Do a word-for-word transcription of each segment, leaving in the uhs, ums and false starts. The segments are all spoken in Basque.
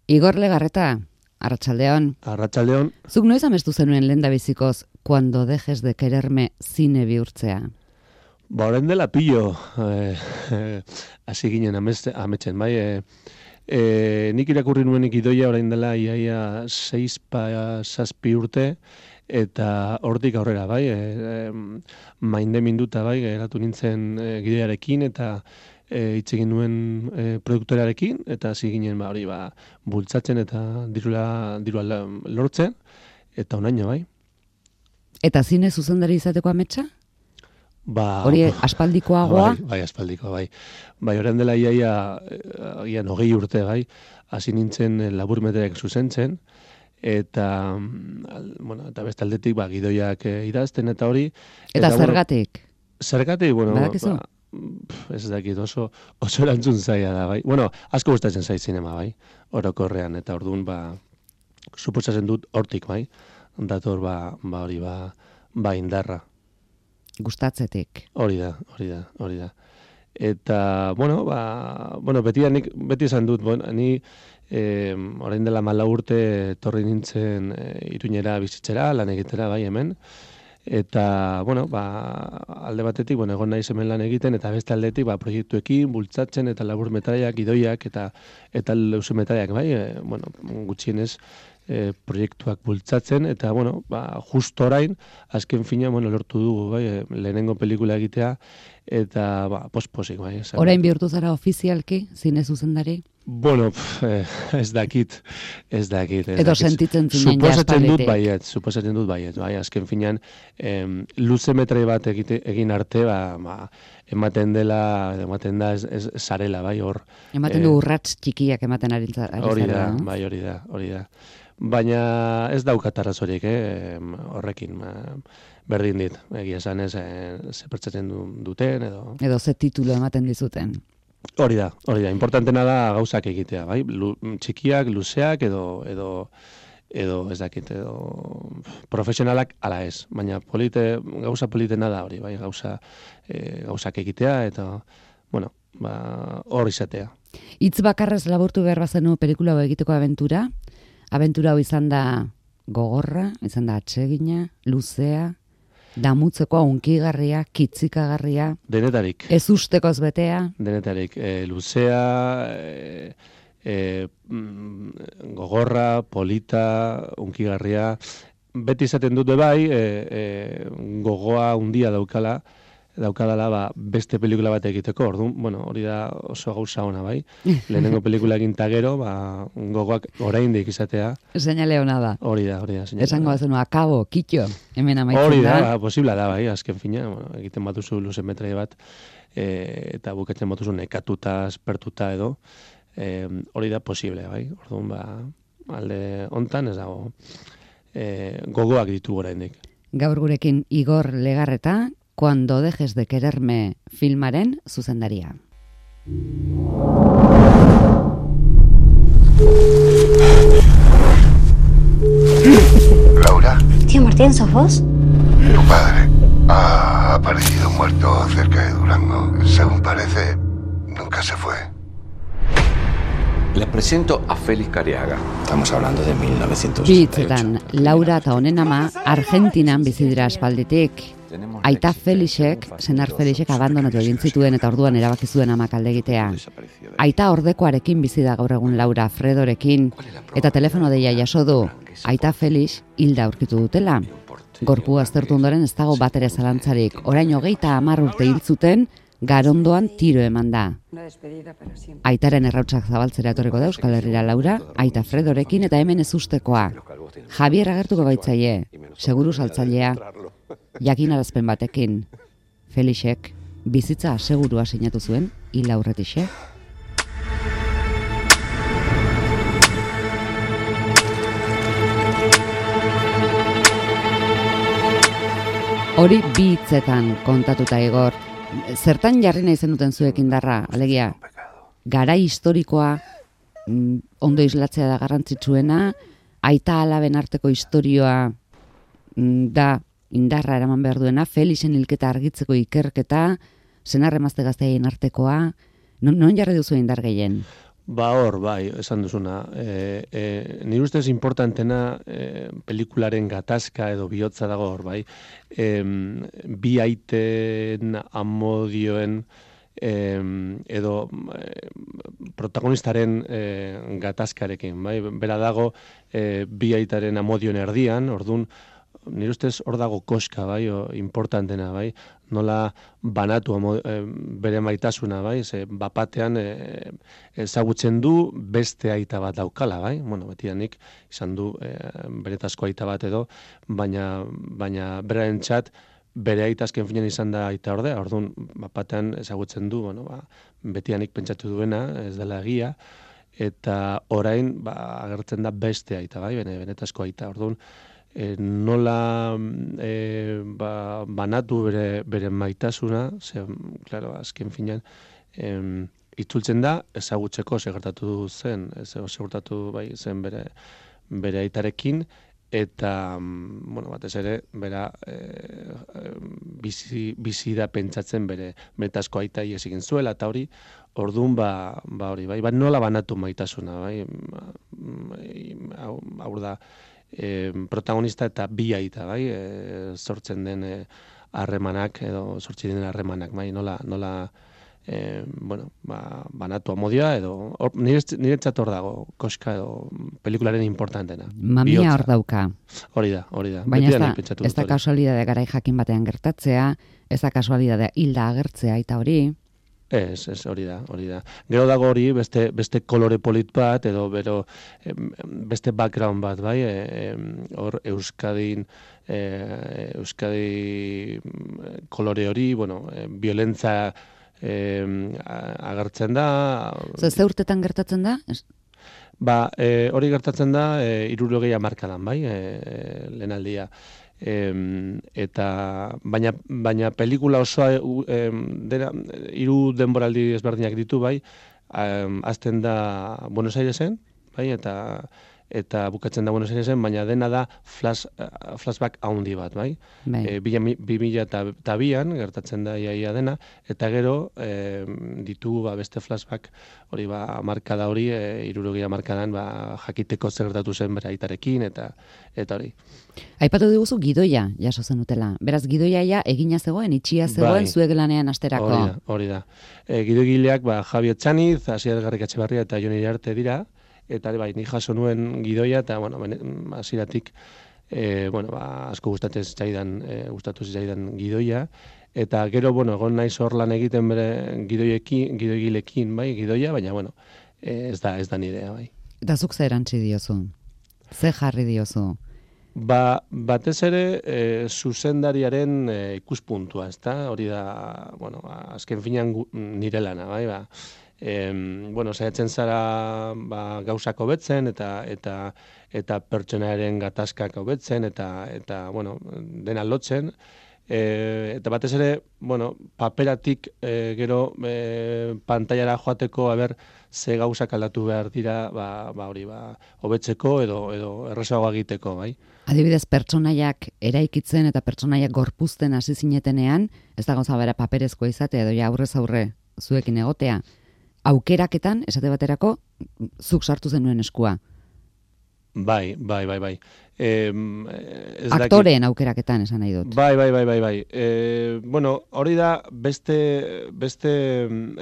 Igor Legarreta, arratsaldeon. Arratsaldeon. Zuk noiz amestu zenuen lehendabizikoz Cuando dejes de quererme zine bihurtzea? Ba, orain dela pillo, eh, eh, hasi ginen ameste, ametzen, bai, eh, eh, nik irakurri nuenik idoia orain dela iaia seis pa zazpi urte, eta hortik aurrera, bai, eh, mainde minduta, bai, geratu nintzen eh, gidoiarekin, eta hitz egin nuen e, produktorearekin, eta hasi ginen ba, hori ba, bultzatzen eta dirula, dirula lortzen, eta onaino, bai. Eta zine zuzendari izateko ametsa? Ba, hori aspaldikoagoa? Bai, bai, aspaldikoa, bai. Bai, orain dela iaia, agian hogei urte, bai, hasi nintzen laburmetraiak zuzentzen, eta, bueno, eta bestaldetik, ba, gidoiak idazten eta hori. Eta, eta zergatik? Bueno, zergatik, bueno, Badakizu? Ba, ez dakit, oso, oso erantzun zaila da, bai. Bueno, asko gustatzen zait zinema, bai, orokorrean, eta orduan, ba, suposatzen dut hortik, bai, dator, ba, ba hori, ba, ba indarra. Gustatzetik. Hori da, hori da, hori da. Eta, bueno, ba, bueno, beti, nik, beti esan dut, bueno, ni, eh, orain dela mala urte, torri nintzen e, Iruñera bizitzera, lan egitera, bai, hemen, eta, bueno, ba, alde batetik, bueno, egon naiz hemen lan egiten, eta beste aldetik, ba, proiektuekin, bultzatzen, eta labur metraiak, idoiak, eta eta leuze metraiak, bai, e, bueno, gutxienez, e, proiektuak bultzatzen, eta, bueno, ba, just orain, azken fina, bueno, lortu dugu, bai, e, lehenengo pelikula egitea, eta, ba, posposik, bai. Esan. Orain bihurtu zara ofizialki, zine zuzendari? Bueno, pf, eh, ez dakit, ez dakit. Ez Edo dakit. sentitzen zinen Suposatzen dut jaspalditik. baiet, suposatzen dut baiet, bai, azken finean, em, luze metrai bat egite, egin arte, ba, ba, ematen dela, ematen da, ez, ez zarela, bai, hor. Ematen du urrats txikiak ematen ari zara. Hori da, bai, hori da, hori da. Baina ez daukat arrazorik, eh, horrekin, ba, berdin dit, egia esan ez, eh, ze pertsatzen duten, edo... Edo ze titulo ematen dizuten. Hori da, hori da, importantena da gauzak egitea, bai? Lu, txikiak, luzeak, edo, edo, edo, ez dakit, edo, profesionalak ala ez, baina polite, gauza politena da hori, bai? Gauza, e, gauzak egitea, eta, bueno, ba, hor izatea. Hitz bakarrez laburtu behar bazenu pelikula hau egiteko abentura, abentura hau izan da gogorra, izan da atsegina, luzea, damutzekoa, unkigarria, kitzikagarria. Denetarik. Ez ustekoz betea. Denetarik. E, luzea, e, e, gogorra, polita, unkigarria. Beti izaten dute bai, e, e, gogoa undia daukala, daukadala ba, beste pelikula bat egiteko. Orduan, bueno, hori da oso gauza ona bai. Lehenengo pelikula egin ta gero, ba, gogoak oraindik izatea. Seinale ona da. Hori da, hori da. Esango bazenu, akabo, kitxo, hemen amaitzen da. Hori da, ba, posibla da bai, azken fina, bueno, egiten batuzu luze metrai bat, e, eta bukatzen batuzu nekatuta, aspertuta edo, e, hori da posible bai. Orduan, ba, alde hontan ez dago e, gogoak ditugu oraindik. Gaur gurekin Igor Legarreta, Cuando dejes de quererme filmaren zuzendaria. Laura. Tío Martín, ¿sos vos? Tu padre ha aparecido muerto cerca de Durango. Según parece, nunca se fue. Les presento a Félix Cariaga. Estamos hablando de mil novecientos sesenta y ocho. Bitzetan, Laura eta honen ama Argentinan bizi dira aspalditik. Aita Felixek, senar Felixek abandonatu egin zituen eta orduan erabaki zuen amak alde egitea. Aita ordekoarekin bizi da gaur egun Laura, Fredorekin, eta telefono deia jaso du. Aita Felix hilda aurkitu dutela. Gorpu aztertu ondoren ez dago batere zalantzarik. Orain hogeita hamar urte hil zuten, Garondoan tiro eman da. Aitaren errautsak zabaltzera etorriko da Euskal Herrira Laura, Aita Fredorekin eta hemen ez ustekoa. Javier agertuko gaitzaie, seguru saltzailea, jakinarazpen batekin. Felixek bizitza asegurua sinatu zuen hil aurretixe. Hori bi hitzetan kontatuta Igor. Zertan jarri nahi zenuten zuek indarra, alegia, garai historikoa mm, ondo islatzea da garrantzitsuena, aita alaben arteko historioa mm, da indarra eraman behar duena, Felixen hilketa argitzeko ikerketa, senar emazte gazteaien artekoa, non, non jarri duzu indar gehien? Ba hor, bai, esan duzuna. E, e, nire ustez importantena e, pelikularen gatazka edo bihotza dago hor, bai. E, bi aiten amodioen e, edo e, protagonistaren e, gatazkarekin, bai. Bera dago e, bi aitaren amodioen erdian, ordun nire ustez hor dago koska, bai, o, importantena, bai, nola banatu amo, e, bere maitasuna, bai, ze bapatean e, ezagutzen du beste aita bat daukala, bai, bueno, betianik izan du e, beretazko aita bat edo, baina, baina beraren txat, bere aita azken finean izan da aita ordea, orduan bapatean ezagutzen du, bueno, ba, betianik pentsatu duena, ez dela egia, eta orain, ba, agertzen da beste aita, bai, bene, benetazko aita, orduan, E, nola e, ba, banatu bere, bere maitasuna, ze, claro, azken finean, em, itzultzen da, ezagutzeko segertatu zen, segertatu bai zen bere, bere aitarekin, eta, bueno, batez ere, bera, e, bizi, bizi da pentsatzen bere betazko aita ies egin zuela, eta hori, orduan, ba, ba hori, bai, ba, nola banatu maitasuna, bai, hau da, E, protagonista eta bi aita, bai, e, sortzen den harremanak e, edo sortzen den harremanak, bai, nola, nola e, bueno, ba, banatu amodioa edo or, nire, nire txator dago koska edo pelikularen importantena. Mamia hor dauka. Hori da, hori da. Baina ez da, ez da kasualidadea garai jakin batean gertatzea, ez da kasualidadea hilda agertzea eta hori. Ez, ez, hori da, hori da. Gero dago hori beste, beste kolore polit bat, edo bero, beste background bat, bai, hor e, Euskadin, e, Euskadi kolore hori, bueno, e, violentza e, agertzen da. Zer, ze urtetan gertatzen da? Ba, e, hori gertatzen da, e, hirurogei hamarkadan, bai, e, lehenaldia. Em, eta baina baina pelikula osoa em, dena hiru denboraldi ezberdinak ditu, bai, em, azten da Buenos Airesen, bai, eta eta bukatzen da Buenos Airesen, baina dena da flash, uh, flashback haundi bat, bai. bai. E, bi mila eta bian gertatzen da iaia dena, eta gero e, ditu ba, beste flashback hori ba, markada hori, e, hirurogeia markadan ba, jakiteko zer gertatu zen bere aitarekin, eta eta hori. Aipatu diguzu gidoia jaso zenutela. Beraz, gidoia ja egina zegoen, itxia zegoen, bai. Zuek lanean asterako. Hori da, hori da. E, gidoigileak ba, Javi Etxaniz, Asier Garrikatxebarria eta Jon Iriarte dira, eta bai, ni jaso nuen gidoia, eta, bueno, hasieratik e, bueno, ba, asko gustatzen zitzaidan, e, gustatu zitzaidan gidoia, eta gero, bueno, egon naiz hor lan egiten bere gidoiekin, gidoigilekin, bai, gidoia, baina, bueno, e, ez da, ez da nirea, bai. Eta zuk zer erantzi diozu? Ze jarri diozu? Ba, batez ere, e, zuzendariaren e, ikuspuntua, ezta? Hori da, bueno, azken finean nire lana, bai, ba, E, bueno, saiatzen zara ba, gauzak hobetzen eta eta eta pertsonaren gatazkak hobetzen eta eta bueno, dena lotzen. E, eta batez ere, bueno, paperatik e, gero e, pantailara joateko aber ze gauzak aldatu behar dira, ba, ba hori ba hobetzeko edo edo errazago egiteko, bai. Adibidez, pertsonaiak eraikitzen eta pertsonaiak gorpuzten hasi zinetenean, ez da gauza bera paperezkoa izate edo ja aurrez aurre zuekin egotea. Aukeraketan, esate baterako, zuk sartu zenuen eskua. Bai, bai, bai, bai. E, Aktoreen aukeraketan, esan nahi dut. Bai, bai, bai, bai, bai. E, bueno, hori da beste, beste,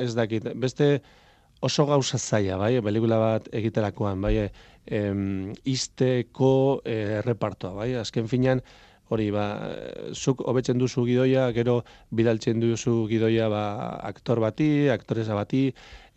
ez dakit, beste oso gauza zaila, bai, pelikula bat egiterakoan, bai, e, izteko errepartoa, bai, azken finean, hori, ba, zuk hobetzen duzu gidoia, gero bidaltzen duzu gidoia ba, aktor bati, aktoresa bati,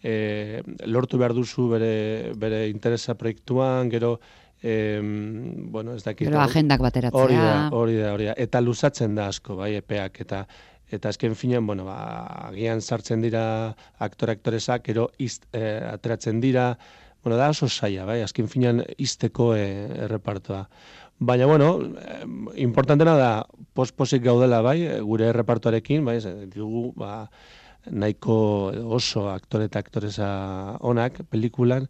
e, lortu behar duzu bere, bere interesa proiektuan, gero, e, bueno, ez dakit. Gero agendak bateratzea. Hori da, hori da, hori da. Eta luzatzen da asko, bai, epeak, eta eta azken finean, bueno, ba, agian sartzen dira aktore-aktoresak, gero izt, e, ateratzen dira, bueno, da oso zaila, bai, azken finean izteko e, errepartoa. Baina, bueno, eh, importantena da posposik gaudela, bai, gure errepartuarekin, bai, dugu, ba, nahiko oso aktore eta aktoresa onak pelikulan,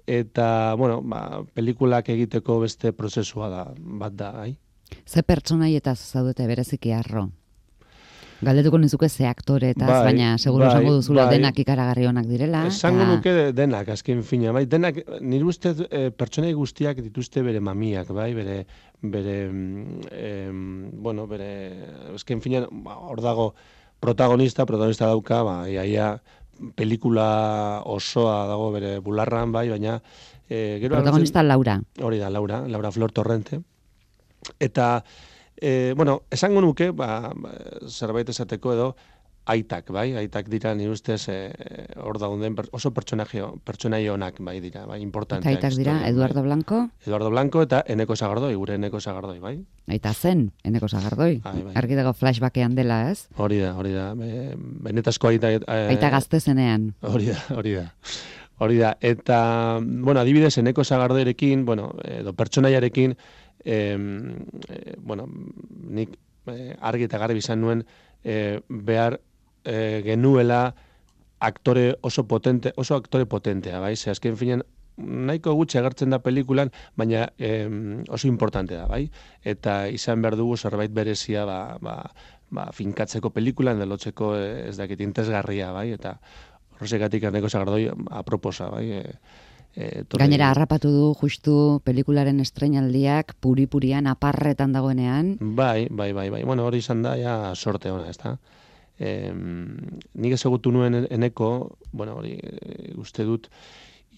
eta, bueno, ba, pelikulak egiteko beste prozesua da, bat da, bai. Ze pertsonaietaz zaudete bereziki harro? Galdetuko nizuke ze aktoretaz, bai, baina seguru bai, esango duzula bai, denak ikaragarri onak direla. Esango ta... nuke denak, azken fina, bai, denak, nire ustez e, pertsonai guztiak dituzte bere mamiak, bai, bere, bere, e, bueno, bere, azken fina, hor dago protagonista, protagonista dauka, ba, iaia, pelikula osoa dago bere bularran, bai, baina... E, gero protagonista arratzen, Laura. Hori da, Laura, Laura Flor Torrente. Eta, e, bueno, esango nuke, ba, zerbait esateko edo, aitak, bai, aitak dira, nire ustez, hor e, dauden oso pertsonaio onak, bai, dira, bai, importanteak. Eta aitak dira, historia, Eduardo bai. Blanco? Eduardo Blanco eta Eneko Sagardoi, gure Eneko Sagardoi, bai. Aita zen, Eneko Sagardoi. Bai, bai. Argi dago flashbackean dela, ez? Hori da, hori da. E, benetazko aita... E, aita gazte zenean. Hori da, hori da. Hori da. Eta, bueno, adibidez, Eneko Sagardoirekin, bueno, edo pertsonaiarekin, e, e, bueno, nik e, argi eta garbi izan nuen, e, behar e, genuela aktore oso potente, oso aktore potentea, bai? Ze azken finean, nahiko gutxi agertzen da pelikulan, baina eh, oso importante da, bai? Eta izan behar dugu zerbait berezia ba, ba, ba, finkatzeko pelikulan, delotzeko ez dakit intezgarria, bai? Eta horrezekatik Eneko Sagardoi aproposa, bai? E, e, torri... Gainera, harrapatu du justu pelikularen estreinaldiak puri-purian aparretan dagoenean. Bai, bai, bai, bai. Bueno, hori izan da, ja, sorte ona, ez da? Eh, nik ezagutu nuen Eneko, bueno, hori e, uste dut,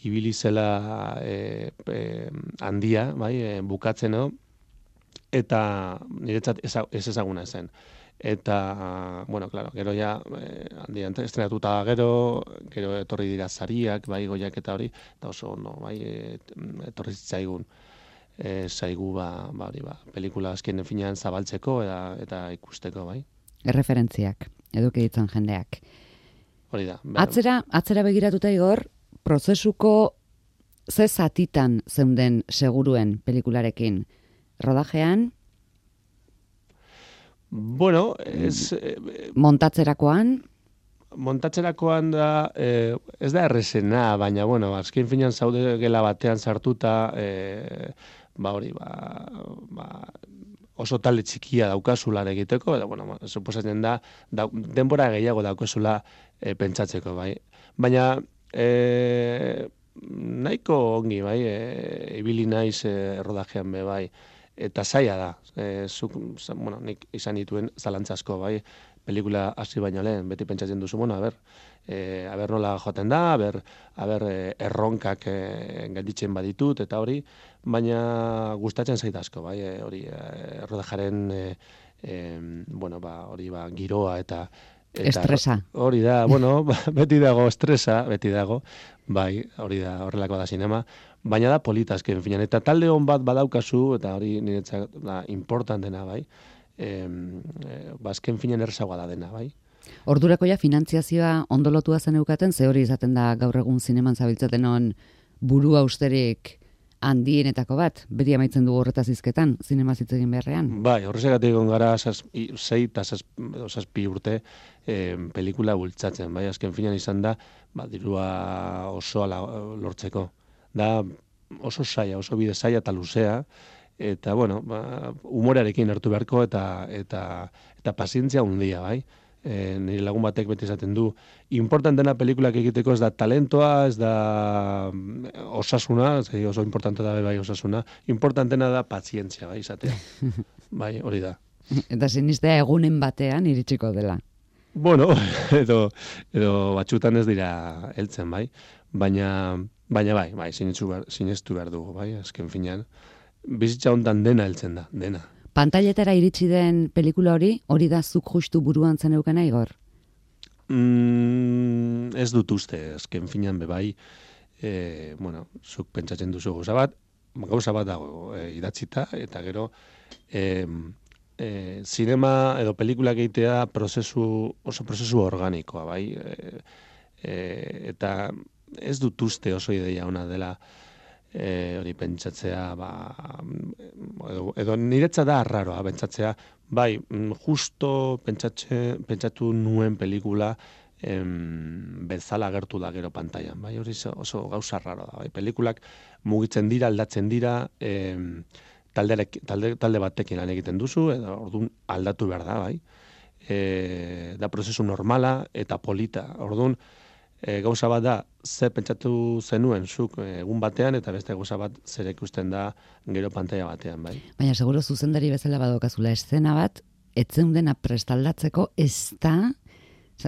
ibili zela e, e, handia, bai, e, bukatzen edo, eta niretzat ez ezaguna zen. Eta, bueno, claro, gero ja, e, handia estrenatuta gero, gero etorri dira zariak, bai, goiak eta hori, eta oso ondo, bai, e, etorri zitzaigun, e, zaigu, ba, ba, hori, ba, pelikula azkenen finean zabaltzeko eta, eta ikusteko, bai. Erreferentziak, eduki ditzen jendeak. Hori da. Ber... Atzera, atzera begiratuta Igor, prozesuko ze zatitan zeunden seguruen pelikularekin? Rodajean? Bueno, ez... Montatzerakoan? Montatzerakoan da, eh, ez da errezena, baina, bueno, azken finean zaude gela batean sartuta, eh, ba hori, ba, ba, oso talde txikia daukazula egiteko, eta, bueno, suposatzen da, da denbora gehiago daukazula e, pentsatzeko, bai. Baina, e, nahiko ongi, bai, e, ibili naiz e, rodajean be, bai, eta zaila da, e, zuk, bueno, nik izan dituen zalantzasko, bai, pelikula hasi baino lehen, beti pentsatzen duzu, bueno, a ber, e, a ber nola joaten da, a ber, a ber e, erronkak e, gelditzen baditut, eta hori, baina gustatzen zait asko, bai, e, hori, e, rodajaren, e, e, bueno, ba, hori, ba, giroa, eta, eta estresa. Hori da, bueno, beti dago estresa, beti dago, bai, hori da, horrelako da sinema, baina da polita azken finan, eta talde hon bat badaukazu, eta hori niretzat da importantena, bai, e, e, bazken finan errezagoa da dena, bai. Ordurako ja finantziazioa ondolotua zen eukaten, ze hori izaten da gaur egun zineman zabiltzaten on buru austerik handienetako bat, beti amaitzen dugu horretaz izketan, zinema hitz egin beharrean. Bai, horrezagatik egon gara sei eta zazpi urte eh, pelikula bultzatzen, bai, azken finan izan da, ba, dirua osoa lortzeko. Da oso saia, oso bide saia eta luzea, eta, bueno, ba, humorearekin hartu beharko eta, eta, eta pazientzia hundia, bai. E, nire lagun batek beti esaten du, importantena pelikulak egiteko ez da talentoa, ez da osasuna, ez da oso importante da bai osasuna, importantena da pazientzia, bai, izatea. Bai, hori da. Eta sinistea egunen batean iritsiko dela. Bueno, edo, edo batxutan ez dira heltzen, bai, baina, baina bai, bai, sinestu behar, sinestu behar dugu, bai, azken finean, bizitza hontan dena heltzen da, dena. Pantailetara iritsi den pelikula hori, hori da zuk justu buruan zen eukena, Igor? Mm, ez dut uste, azken finean bebai, e, bueno, zuk pentsatzen duzu gauza bat, gauza bat dago e, idatzita, eta gero, e, e, zinema edo pelikulak egitea prozesu, oso prozesu organikoa, bai, e, e, eta ez dut uste oso ideia ona dela, E, hori pentsatzea, ba, edo, edo niretza da arraroa pentsatzea, bai, justo pentsatze, pentsatu nuen pelikula em, bezala agertu da gero pantailan, bai, hori oso gauza arraroa da, bai, pelikulak mugitzen dira, aldatzen dira, em, talde, talde, talde batekin lan egiten duzu, edo orduan aldatu behar da, bai, e, da prozesu normala eta polita. Orduan, e, gauza bat da, ze pentsatu zenuen zuk egun batean, eta beste gauza bat zer ikusten da gero pantalla batean, bai. Baina, seguro zuzendari bezala badokazula eszena bat, etzen dena prestaldatzeko ez da,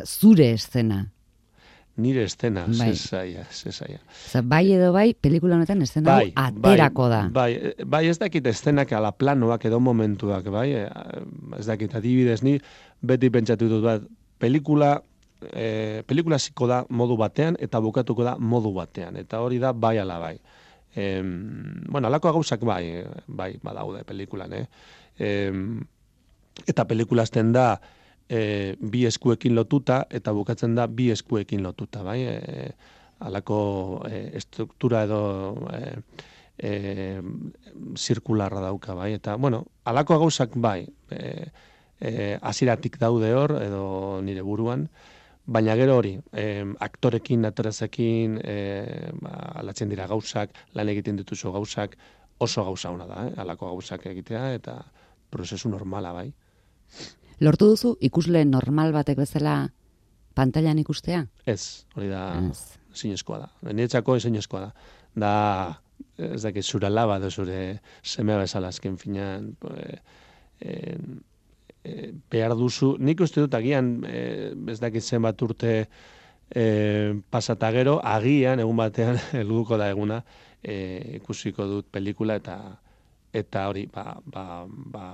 zure eszena. Nire eszena, bai. zezaia, zezaia. Bai edo bai, pelikula honetan eszena bai, aterako da. Bai, bai, ez dakit eszenak ala planoak edo momentuak, bai, ez dakit adibidez ni, beti pentsatu dut bat, pelikula, e, pelikula ziko da modu batean, eta bukatuko da modu batean, eta hori da bai ala bai. E, bueno, alako gauzak bai, bai, badaude pelikulan, eh? E, eta pelikula azten da, E, bi eskuekin lotuta, eta bukatzen da bi eskuekin lotuta, bai? E, alako e, estruktura edo e, e, zirkularra dauka, bai? Eta, bueno, alako gauzak bai, e, e, aziratik daude hor, edo nire buruan, baina gero hori, e, aktorekin, atrezekin, e, ba, alatzen dira gauzak, lan egiten dituzu gauzak, oso gauza hona da, eh? Alako gauzak egitea, eta prozesu normala, bai? Lortu duzu ikusle normal batek bezala pantailan ikustea? Ez, hori da ezinezkoa da. Niretzako ezinezkoa da. Da, ez dakit, zure alaba edo zure semea bezala azken finean e, e, e, behar duzu. Nik uste dut agian, e, ez dakit zenbat urte e, pasata gero, agian egun batean helduko da eguna e, ikusiko dut pelikula eta eta hori, ba, ba, ba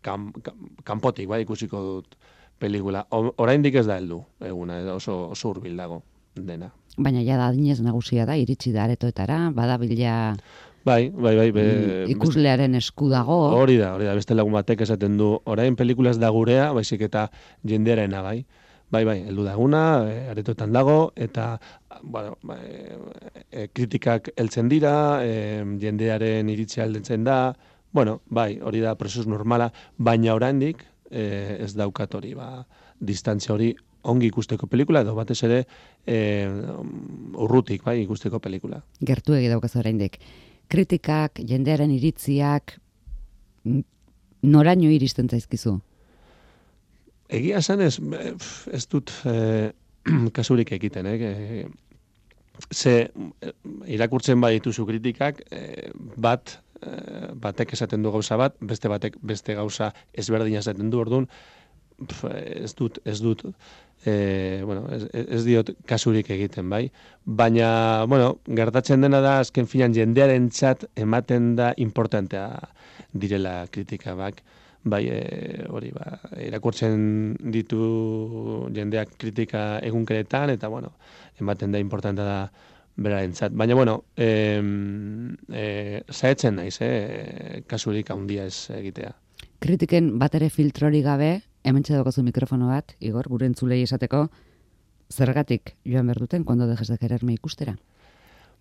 Kan, kan, kanpotik, bai, ikusiko dut pelikula. Oraindik ez da heldu eguna, oso, oso hurbil dago dena. Baina ja da adinez nagusia da, iritsi da aretoetara, badabila bai, bai, bai, be, ikuslearen esku dago. Hori da, hori da, beste lagun batek esaten du, orain pelikula ez da gurea, baizik eta jendearena, bai. Bai, bai, heldu da eguna, aretoetan dago, eta bueno, e, kritikak heltzen dira, e, jendearen iritzia heltzen da. Bueno, bai, hori da prozesu normala, baina oraindik eh, ez daukat hori, ba, distantzia hori ongi ikusteko pelikula, edo batez ere eh, urrutik, bai, ikusteko pelikula. Gertu egi daukaz oraindik. Kritikak, jendearen iritziak, noraino iristen zaizkizu? Egia esan ez, ez dut eh, kasurik egiten, eh? Ze irakurtzen badituzu kritikak, eh, bat, batek esaten du gauza bat, beste batek beste gauza ezberdina esaten du, orduan ez dut, ez dut, e, bueno, ez, ez diot kasurik egiten, bai. Baina, bueno, gertatzen dena da, azken finan jendearen txat ematen da importantea direla kritika, bak. Bai, e, hori, ba, irakurtzen ditu jendeak kritika egunkeretan, eta, bueno, ematen da importantea da berarentzat. Baina, bueno, eh, eh, zaetzen naiz, eh, kasurik handia ez egitea. Kritiken bat ere filtrori gabe, hemen txedokozu mikrofono bat, Igor, gure entzulei esateko, zergatik joan behar duten, kuando dejes de quererme ikustera?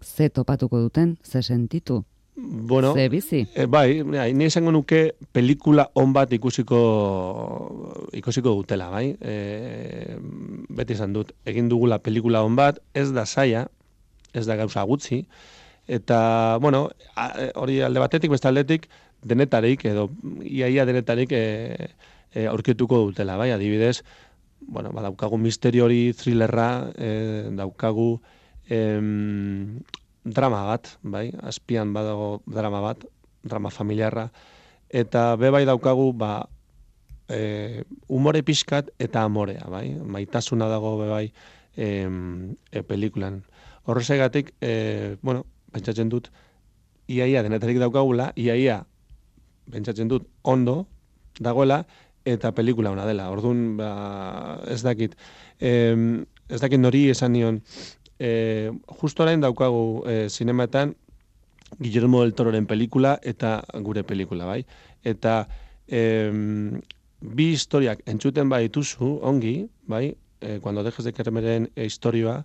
Ze topatuko duten, ze sentitu, bueno, ze bizi? E, bai, ni esango nuke pelikula on bat ikusiko ikusiko dutela, bai? E, beti esan dut, egin dugula pelikula on bat, ez da zaila, ez da gauza gutxi, eta, bueno, hori alde batetik, beste aldetik, denetarik, edo iaia denetarik e, e, aurkituko dutela, bai, adibidez, bueno, ba, daukagu misterio hori, thrillerra, e, daukagu em, drama bat, bai, azpian badago drama bat, drama familiarra, eta be bai daukagu, ba, e, umore pixkat eta amorea, bai, maitasuna dago be bai em, e, pelikulan. Horrezegatik, e, bueno, pentsatzen dut, iaia denetarik daukagula, iaia, pentsatzen dut, ondo dagoela, eta pelikula ona dela. Orduan, ba, ez dakit, e, ez dakit nori esan nion, e, justo orain daukagu e, zinemetan, Guillermo del Tororen pelikula eta gure pelikula, bai? Eta e, bi historiak entzuten badituzu, ongi, bai? E, cuando dejes de querermeren historioa,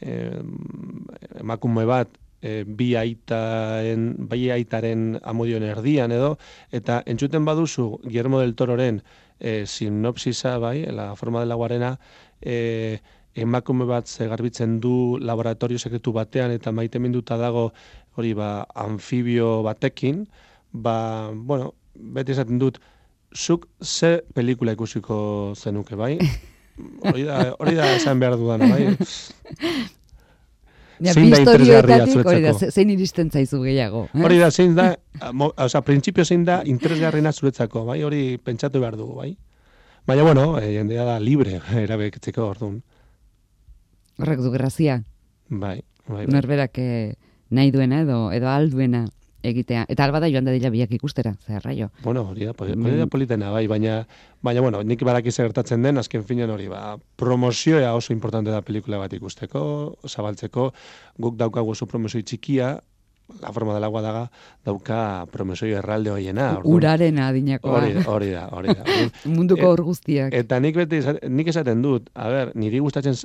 Eh, emakume bat eh, bi aitaren, bai aitaren amodioen erdian edo, eta entzuten baduzu Guillermo del Tororen eh, sinopsisa, bai, la forma de la guarena, eh, emakume bat garbitzen du laboratorio sekretu batean eta maiteminduta dago hori ba anfibio batekin, ba, bueno, beti esaten dut, zuk ze pelikula ikusiko zenuke, bai? Hori da, hori da esan behar dudana, bai? Ja, zein da interesgarria zuretzako? Zein iristen zaizu gehiago. Eh? Hori da, zein da, oza, printzipio zein da interesgarriena zuretzako, bai? Hori pentsatu behar dugu, bai? Baina, bueno, jendea da libre erabeketzeko, orduan. Horrek du grazia. Bai, bai, bai. Norberak nahi duena edo, edo alduena egitea. Eta alba da joan da dila biak ikustera, zer raio. Bueno, hori da, hori da politena, bai, baina, baina, bueno, nik badakiz gertatzen den, azken finean hori, ba, promozioa oso importante da pelikula bat ikusteko, zabaltzeko, guk daukagu oso promozio txikia, La forma del agua daga, dauka promesoi erralde hoiena. Uraren adinakoa. Hori, hori da, hori da. Munduko hor guztiak. Eta nik beti, nik esaten dut, a ber, niri gustatzen,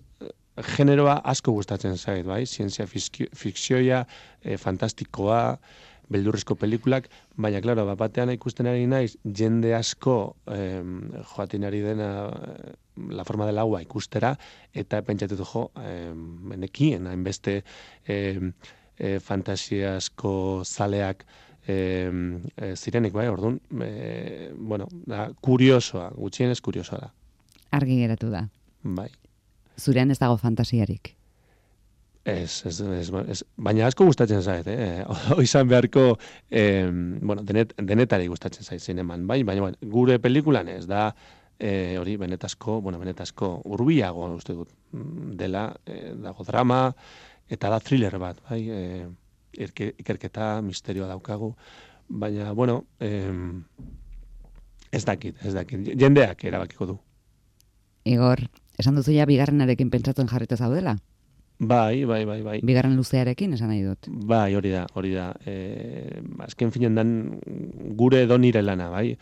generoa asko gustatzen zait, bai? Zientzia fikzioa, eh, fantastikoa, beldurrezko pelikulak, baina, klaro, bat batean ikusten ari naiz, jende asko eh, joaten ari dena eh, La forma del agua ikustera, eta pentsatutu jo, eh, nekien, hainbeste... Eh, E, fantasiasko zaleak e, e, zirenik, bai, orduan, e, bueno, da, kuriosoa, gutxienez kuriosoa da. Argi geratu da. Bai. Zurean ez dago fantasiarik. Ez, ez, ez, ez, baina asko gustatzen zait, eh? Oizan beharko, eh, bueno, denet, denetari gustatzen zait zineman, bai, baina bueno, gure pelikulan ez da, eh, hori benetazko, bueno, benetazko urbiago, uste dut, dela, eh, dago drama, eta da thriller bat, bai, e, ikerketa, misterioa daukagu, baina, bueno, eh, ez dakit, ez dakit, jendeak erabakiko du. Igor, esan duzu ja bigarrenarekin pentsatzen jarrita zaudela? Bai, bai, bai, bai. Bigarren luzearekin, esan nahi dut. Bai, hori da, hori da. E, azken finen dan gure edo nire lana, bai.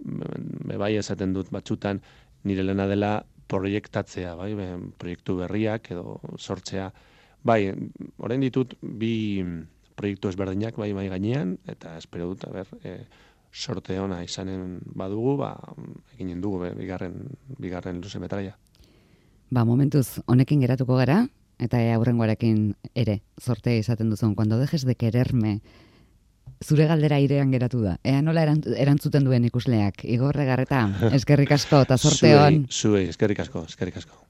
Be, bai esaten dut batzutan nire lana dela proiektatzea, bai, be, proiektu berriak edo sortzea. Bai, orain ditut bi proiektu ezberdinak bai bai gainean, eta espero dut, a ber, e, sorte ona izanen badugu, ba, eginen dugu, be, bigarren, bigarren luze metraia. Ba, momentuz, honekin geratuko gara, eta aurrengoarekin ere, sortea izaten duzun, cuando dejes de quererme, zure galdera airean geratu da. Ea nola erantzuten duen ikusleak. Igor Legarreta, eskerrik asko, eta sorte hon. Zuei, eskerrik asko, eskerrik asko.